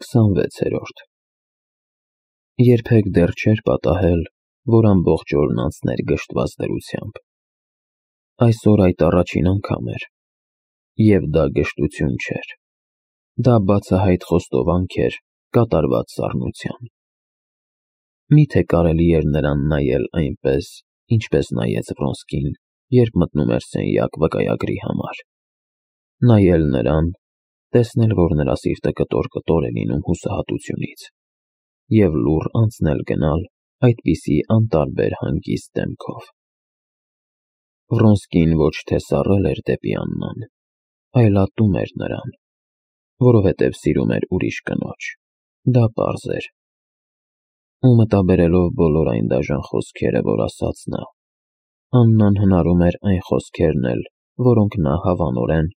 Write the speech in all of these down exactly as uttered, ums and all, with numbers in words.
քսանվեցերորդ Երբեք դեռ չէր պատահել, որ ամբողջ օրն անցներ գժտված դրությամբ։ Այսօր այդ առաջին անգամ էր, և դա գժտություն չէր, դա բացահայտ խոստովանք էր կատարված սառնության։ Մի՞թե կարելի էր նրան նայել այնպես, ինչպես նայեց Վրոնսկին, երբ մտնում էր սենյակ վկայագրի համար, նայել նրան, տեսնել, որ նրա սիրտը կտոր-կտոր է լինում հուսահատությունից, և լուռ անցնել-գնալ այդպիսի անտարբեր հանգիստ դեմքով։ Վրոնսկին ոչ թե սառել էր դեպի Աննան, այլ ատում էր նրան, որովհետև սիրում էր ուրիշ կնոջ, դա պարզ էր։ Ու մտաբերելով բոլոր այն դաժան խոսքերը, որ ասաց նա, Աննան հնարում էր այն խոսքերն էլ, որոնք նա հավանորեն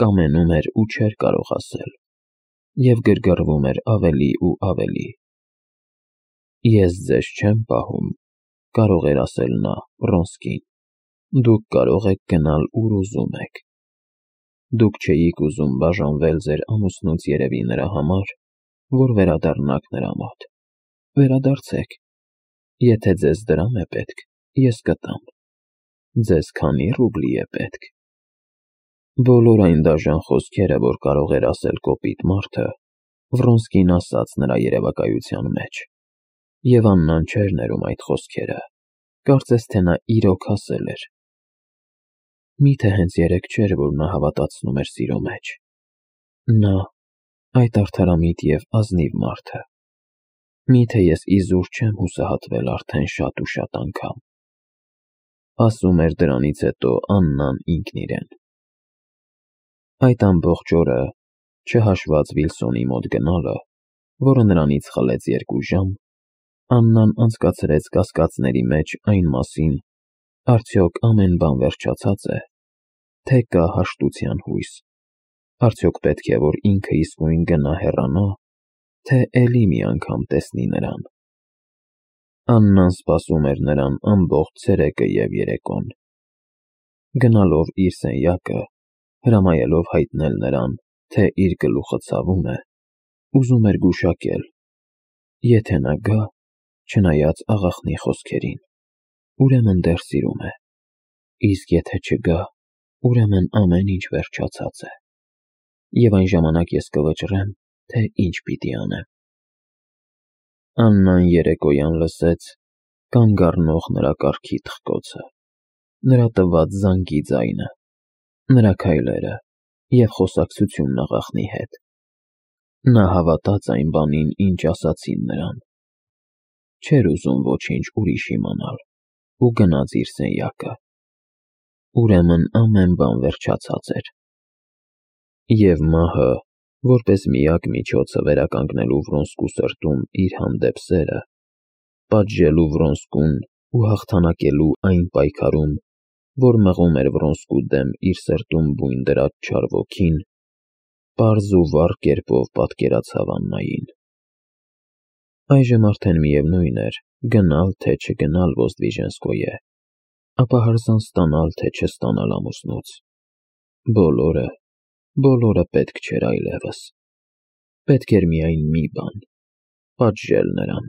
կամենում էր ու չէր կարող ասել, և գրգռվում էր ավելի ու ավելի։ «Ես ձեզ չեմ պահում», կարող էր ասել նա Վրոնսկին, «դուք կարող եք գնալ ուր ուզում եք։ Դուք չէիք ուզում բաժանվել ձեր ամուսնուց երևի նրա համար, որ վերադառնաք նրա մոտ։ Վերադարձեք։ Եթե ձեզ դրամ է պետք, ես կտամ։ Ձեզ քանի ռուբլի է պետք»։ Բոլոր այն դաժան խոսքերը, որ կարող էր ասել կոպիտ մարդը, Վրոնսկին ասաց նրա երևակայության մեջ, և Աննան չէր ներում այդ խոսքերը, կարծես թե նա իրոք ասել էր։ Մի՞թե հենց երեկ չէր, որ նա հավատացնում էր սիրո մեջ։ Նա, այդ արդարամիտ և ազնիվ մարդը։ Մի՞թե ես իզուր չեմ հուսահատվել արդեն շատ ու շատ անգամ։ Ասում էր դրանից հետո Աննան ինքն իրեն։ Այդ ամբողջ օրը, չհաշված Վիլսոնի մոտ գնալը, որը նրանից խլեց երկու ժամ, Աննան անցկացրեց կասկածների մեջ այն մասին, արդյոք ամեն բան վերջացած է, թե կա հաշտության հույս, արդյոք պետք է, որ ինքը իսկույն գնա հեռանա, թե էլի մի անգամ տեսնի նրան։ Աննան սպասում էր նրան ամբողջ ցերեկը և երեկոն։ Գնալով իր սենյակը, հրամայելով հայտնել նրան, թե իր գլուխը ցավում է, ուզում էր գուշակել. եթե նա գա, չնայած աղախնի խոսքերին, ուրեմն դեռ սիրում է, իսկ եթե չգա, ուրեմն ամեն ինչ վերջացած է, և այն ժամանակ ես կվճռեմ, թե ինչ պիտի անեմ։ Աննան երեկոյան լսեց կանգ առնող նրա կառքի թխկոցը, նրա տված զանգի ձայնը, նրա քայլերը և խոսակցությունն աղախնի հետ։ Նա հավատաց այն բանին, ինչ ասացին նրան։ Չէր ուզում ոչինչ ուրիշ իմանալ ու գնաց իր սենյակը։ Ուրեմն ամեն բան վերջացած էր։ Եվ մահը, որպես միակ միջոցը վերականգնելու Վրոնսկու սրտում իր հանդեպ սերը, պատժելու Վրոնսկուն ու հաղթանակելու այն պայքարում, որ մղում էր Վրոնսկու դեմ իր սրտում բույն դրած չար ոգին, պարզ ու վառ կերպով պատկերացավ Աննային։ Այժմ արդեն միևնույն էր գնալ, թե չգնալ Ոզդվիժենսկոյե, ապա հրաժարական ստանալ, թե չստանալ ամուսնուց։ Բոլորը, բոլորը պետք չէր այլևս։ Պետք էր միայն մի բան՝ պատժել նրան։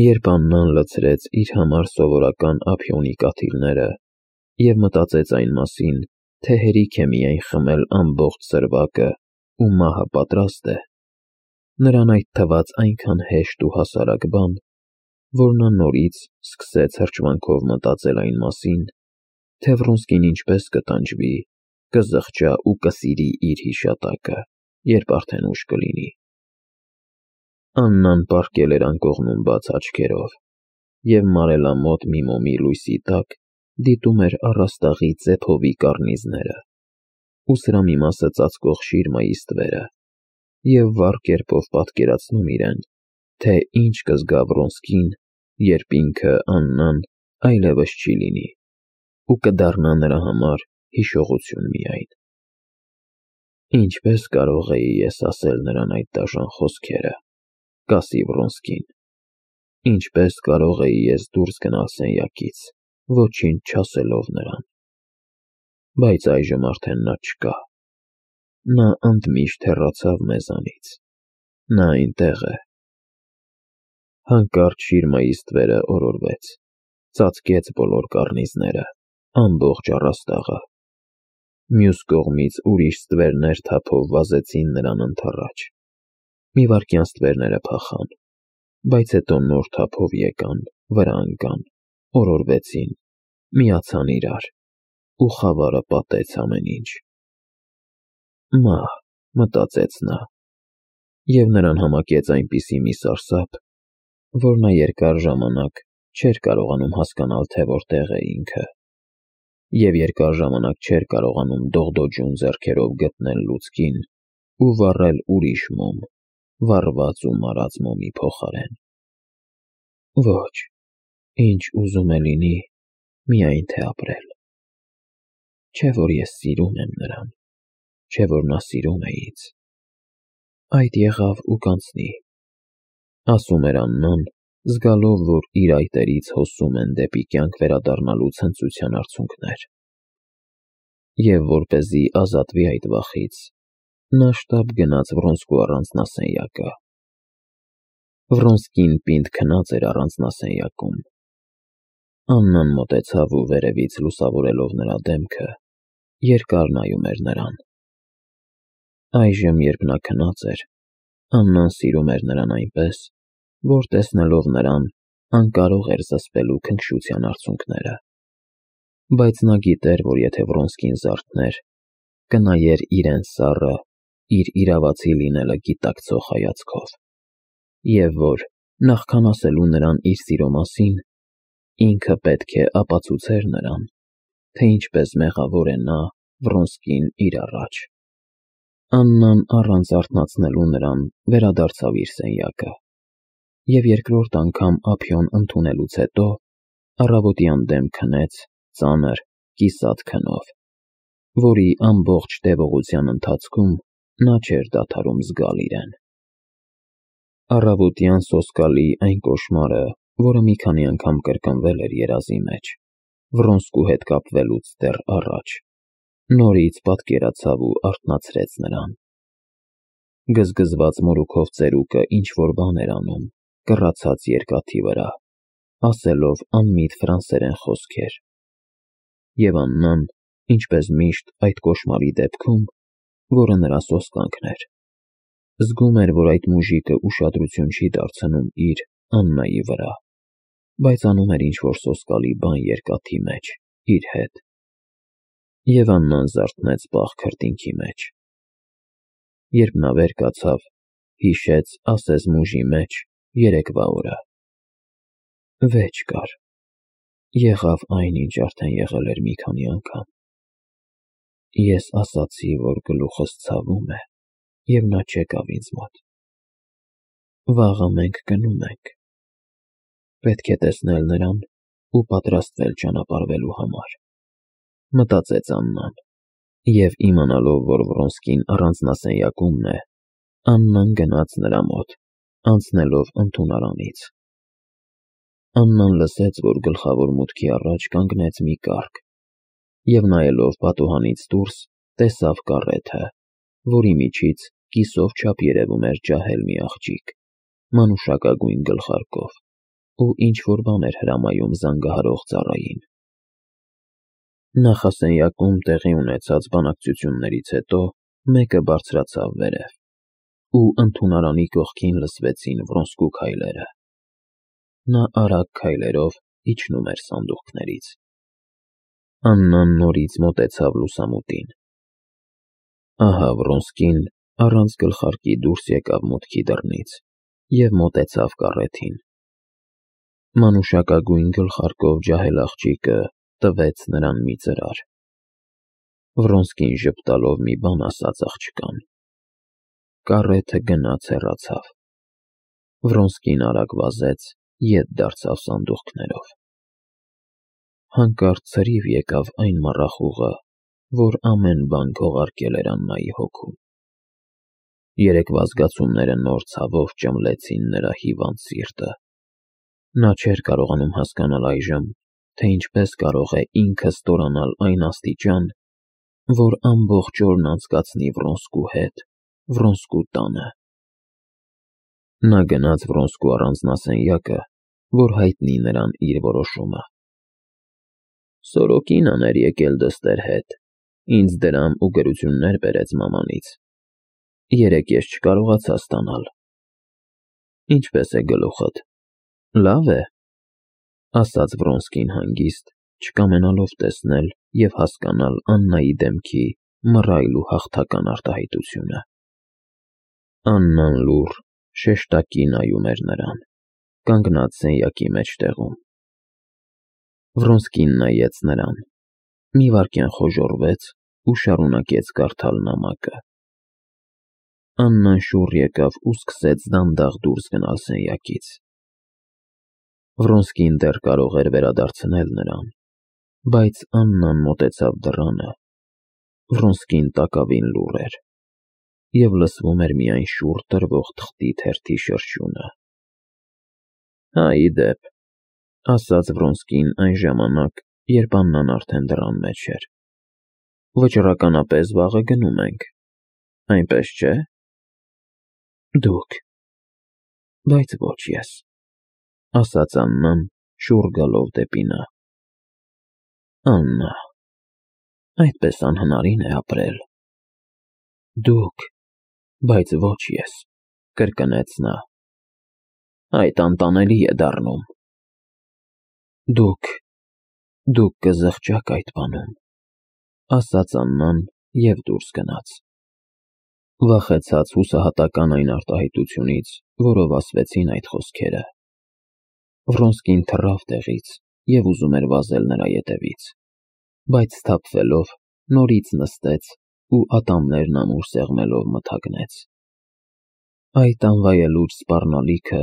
Երբ Աննան լցրեց իր համար սովորական ափիոնի կաթիլները և մտածեց այն մասին, թե հերիք է միայն խմել ամբողջ սրվակը ու մահը պատրաստ է, նրան այդ թվաց այնքան հեշտ ու հասարակ բան, որ նա նորից սկսեց հրճվանքով մտածել այն մասին, թե Վրոնսկին ինչպես կտանջվի, կզղջա ու կսիրի իր հիշատակը, երբ արդեն ուշ կլինի։ Աննան պառկել էր անկողնում բաց աչքերով և մարելամոտ մի մոմի լույսի տակ դիտում էր առաստաղի ծեփովի կառնիզները ու սրա մի մասը ծածկող շիրմայի ստվերը և վառ կերպով պատկերացնում իրեն, թե ինչ կզգա Վրոնսկին, երբ ինքը, Աննան, այլևս չի լինի ու կդառնա նրա համար հիշողություն միայն։ Ինչպե՞ս կարող էի ես ասել նրան այդ դաժան խոսքերը, կասի Վրոնսկին։ Ինչպե՞ս կարող էի ես դուրս գնալ սենյակից, ոչինչ չասելով նրան։ Բայց այժմ արդեն նա չկա։ Նա ընդմիշտ հեռացավ մեզանից։ Նա այնտեղ է։ Հանկարծ շիրմայի ստվերը օրորվեց, ծածկեց բոլոր կառնիզները, ամբողջ առաստաղը։ Մյուս կողմից ուրիշ ստվերներ թափով վազեցին նրան ընդառաջ։ Մի վայրկյան ստվերները փախան, բայց հետո նոր թափով եկան, վրա ընկան, օրորվեցին, միացան իրար, ու խավարը պատեց ամեն ինչ։ Մահ, մտածեց նա, և նրան համակեց այնպիսի մի սարսափ, որ նա երկար ժամանակ չէր կարողանում հասկանալ, թե որտեղ է ինքը, և երկար ժամանակ չէր կարողանում դողդոջուն ձեռքերով գտնել լուցկին ու վառել ուրիշ մոմ, վառված ու մարած մոմի փոխարեն։ Ոչ, ինչ ուզում է լինի, միայն թե ապրել։ Չէ՞ որ ես սիրում եմ նրան, չէ՞ որ նա սիրում է ինձ։ Այդ եղավ ու կանցնի, ասում էր Աննան, զգալով, որ իր այտերից հոսում են դեպի կյանք վերադառնալու ցնծության արցունքներ։ Եվ որպեսզի ազատվի այդ վախից, նա շտապ գնաց Վրոնսկու առանձնասենյակը։ Վրոնսկին պինդ քնած էր առանձնասենյակում։ Աննան մոտեցավ ու վերևից լուսավորելով նրա դեմքը, երկար նայում էր նրան։ Այժմ, երբ նա քնած էր, Աննան սիրում էր նրան այնպես, որ տեսնելով նրան, անկարող էր զսպելու քնքշության արցունքները։ Բայց նա գիտեր, որ եթե Վրոնսկին զարթներ, կնայեր իրեն սառը, իր իրավացի լինելը գիտակցող հայացքով, և որ, նախքան ասելու նրան իր սիրո մասին, ինքը պետք է ապացուցեր նրան, թե ինչպես մեղավոր է նա, Վրոնսկին, իր առաջ։ Աննան առանց արթնացնելու նրան վերադարձավ իր սենյակը, և երկրորդ անգամ ափիոն ընդունելուց հետո առավոտյան դեմ քնեց ծանր, կիսատ քնով, որի ամբողջ տևողության ընթացքում նա չէր դադարում զգալ իրեն։ Առավոտյան սոսկալի այն կոշմարը, որը մի քանի անգամ կրկնվել էր երազի մեջ, Վրոնսկու հետ կապվելուց դեռ առաջ, նորից պատկերացավ ու արթնացրեց նրան։ Գզգզված մորուքով ծերուկը ինչ-որ բան էր անում, կռացած երկաթի վրա, ասելով անմիտ ֆրանսերեն խոսքեր։ Եվ Աննան, ինչպես միշտ այդ կոշմարի դեպքում, որը նրա սոսկանքն էր, զգում էր, որ այդ մուժիկը ուշադրություն չի դարձնում իր, Աննայի վրա, բայց անում էր ինչ-որ սոսկալի բան երկաթի մեջ, իր հետ։ Եվ Աննան զարթնեց պաղ քրտինքի մեջ։ Երբ նա վեր կացավ, հիշեց ասես մուժի մեջ երեկվա օրը։ Վեճ կար, եղավ այն, ինչ արդեն եղել էր մի քանի անգամ։ Ես ասացի, որ գլուխս ցավում է, և նա չեկավ ինձ մոտ։ Վաղը մենք գնում ենք։ Պետք է տեսնել նրան ու պատրաստվել ճանապարհվելու համար, մտածեց Աննան, և իմանալով, որ Վրոնսկին առանձնասենյակումն է, Աննան գնաց նրա մոտ, անցնելով ընդունարանից։ Աննան լսեց, որ գլխավոր մուտքի առաջ կանգնեց մի կառք, և նայելով պատուհանից դուրս, տեսավ կառեթը, որի միջից կիսով չափ երևում էր ջահել մի աղջիկ, մանուշակագույն գլխարկով, ու ինչ-որ բան էր հրամայում զանգահարող ծառային։ Նախասենյակում տեղի ունեցած բանակցություններից հետո մեկը բարձրացավ վերև, ու ընդունարանի կողքին լսվեցին Վրոնսկու քայլերը։ Նա արագ քայլերով իջնում էր սանդուղքներից։ Աննան նորից մոտեցավ լուսամուտին։ Ահա Վրոնսկին առանց գլխարկի դուրս եկավ մուտքի դռնից և մոտեցավ կառեթին։ Մանուշակագույն գլխարկով ջահել աղջիկը տվեց նրան մի ծրար։ Վրոնսկին ժպտալով մի բան ասաց աղջկան։ Կառեթը գնաց հեռացավ։ Վրոնսկին արագ վազեց, ետ դարձավ սանդուղքներով։ Հանկարծ ցրիվ եկավ այն մառախուղը, որ ամեն բան քողարկել էր Աննայի հոգում։ Երեկվա զգացումները նոր ցավով ճմլեցին նրա հիվանդ սիրտը։ Նա չէր կարողանում հասկանալ այժմ, թե ինչպես կարող է ինքը ստորանալ այն աստիճան, որ ամբողջ օրն անցկացնի Վրոնսկու հետ, Վրոնսկու տանը։ Նա գնաց Վրոնսկու առանձնասենյակը, որ հայտնի նրան իր որոշումը։ Սորոկին աներ եկել դստեր հետ, ինձ դրամ ու գրություններ բերեց մամանից։ Երեկ ես չկարողացա ստանալ։ Ինչպես է գլուխդ։ Լավ է, ասաց Վրոնսկին հանգիստ, չկամենալով տեսնել և հասկանալ Աննայի դեմքի մռայլ ու հաղթական արտահայտությունը։ Աննան լուռ, շեշտակի նայում էր նրան, կանգնած սենյակի մեջտեղում։ Վրոնսկին նայեց նրան, մի վայրկյան խոժոռվեց ու շարունակեց կարդալ նամակը։ Աննան շուռ եկավ ու սկսեց դանդաղ դուրս գնալ սենյակից։ Վրոնսկին դեռ կարող էր վերադարձնել նրան, բայց Աննան մոտեցավ դռանը։ Վրոնսկին տակավին լուռ էր, և լսվում էր միայն շուռ տրվող թղթի թերթի շրշյունը։ Հա, ի դեպ, ասաց Վրոնսկին այն ժամանակ, երբ Աննան արդեն դռան մեջ էր, վճռականապես վաղը գնում ենք, այնպես չէ՞։ Դուք։ Բայց ոչ ես, ասաց Աննան, շուռ գալով դեպի նա։ Աննա, այդպես անհնարին է ապրել։ Դուք, բայց ոչ ես, կրկնեց նա։ Այդ անտանելի է դառնում։ Դուք, դուք կզղջաք այդ բանում, ասաց Աննան և դուրս գնաց։ Վախեցած հուսահատական այն արտահայտությունից, որով ասվեցին այդ խոսքերը։ Վրոնսկին թռավ տեղից և ուզում էր վազել նրա ետևից, բայց սթափվելով նորից նստեց ու ատամներն ամուր սեղմելով մթագնեց։ Այդ անվայելուչ սպառնալիքը,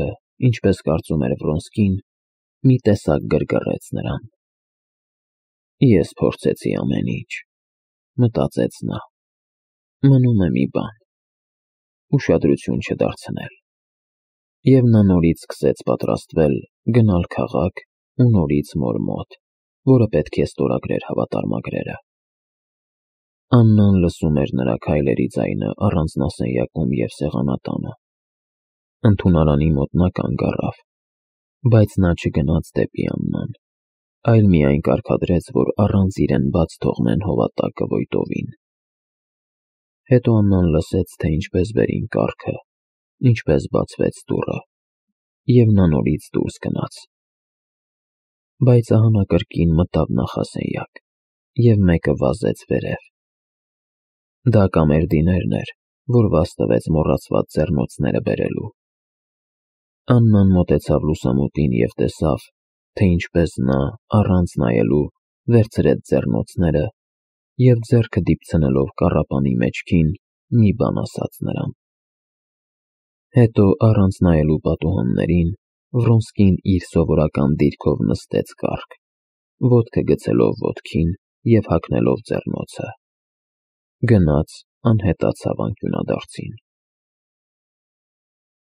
ինչպես կարծում էր Վրոնսկին, մի տեսակ գրգռեց նրան։ Ես փորձեցի ամեն ինչ, մտածեց նա, մնում է մի բան՝ ուշադրություն չդարձնել։ Եվ նա նորից սկսեց պատրաստվել գնալ քաղաք ու նորից մոր մոտ, որը պետք է ստորագրեր հավատարմագրերը։ Աննան լսում էր նրա քայլերի ձայնը առանձնասենյակում և սեղանատանը։ Ընդունարանի մոտ նա կանգ առավ, բայց նա չգնաց դեպի Աննան, այլ միայն կարգադրեց, որ առանց իրեն բաց թողնեն հովատակը ոյտովին։ Հետո Աննան լսեց, թե ինչպես վերին կառքը, ինչպես բացվեց դուռը, և նա նորից դուրս գնաց։ Բայց ահա նա կրկին մտավ նախասենյակ, և մեկը վազեց վերև։ Դա Կամերդիներն էր, որ վազ տվեց մոռացված ձեռնոցները բերելու։ Աննան մոտեցավ լուսամուտին և տեսավ, թե ինչպես նա, առանց նայելու, վերցրեց ձեռնոցները և ձեռքը դիպցնելով կառապանի մեջքին, մի բան ասաց նրան։ Հետո, առանց նայելու պատուհաններին, Վրոնսկին իր սովորական դիրքով նստեց կառք, ոտքը գցելով ոտքին և հագնելով ձեռնոցը։ Գնաց, անհետացավ անկյունադարձին։